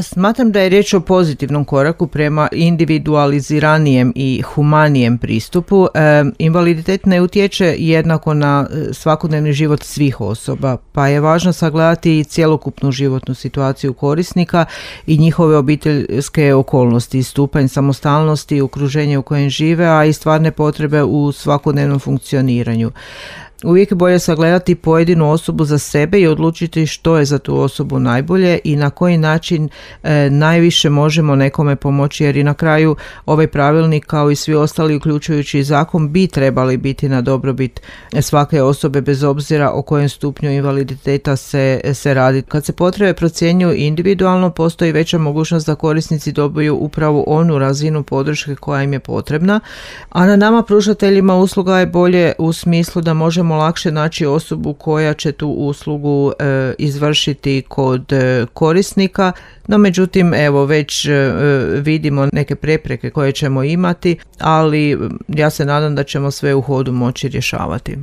Smatram da je riječ o pozitivnom koraku prema individualiziranijem i humanijem pristupu. Invaliditet ne utječe jednako na svakodnevni život svih osoba, pa je važno sagledati i cjelokupnu životnu situaciju korisnika i njihove obiteljske okolnosti, stupanj samostalnosti, okruženje u kojem žive, a i stvarne potrebe u svakodnevnom funkcioniranju. Uvijek je bolje sagledati pojedinu osobu za sebe i odlučiti što je za tu osobu najbolje i na koji način najviše možemo nekome pomoći, jer i na kraju ovaj pravilnik kao i svi ostali uključujući i zakon bi trebali biti na dobrobit svake osobe bez obzira o kojem stupnju invaliditeta se radi. Kad se potrebe procjenjuju individualno, postoji veća mogućnost da korisnici dobiju upravo onu razinu podrške koja im je potrebna, a na nama pružateljima usluga je bolje u smislu da možemo lakše naći osobu koja će tu uslugu izvršiti kod korisnika. No međutim, evo već vidimo neke prepreke koje ćemo imati, ali ja se nadam da ćemo sve u hodu moći rješavati.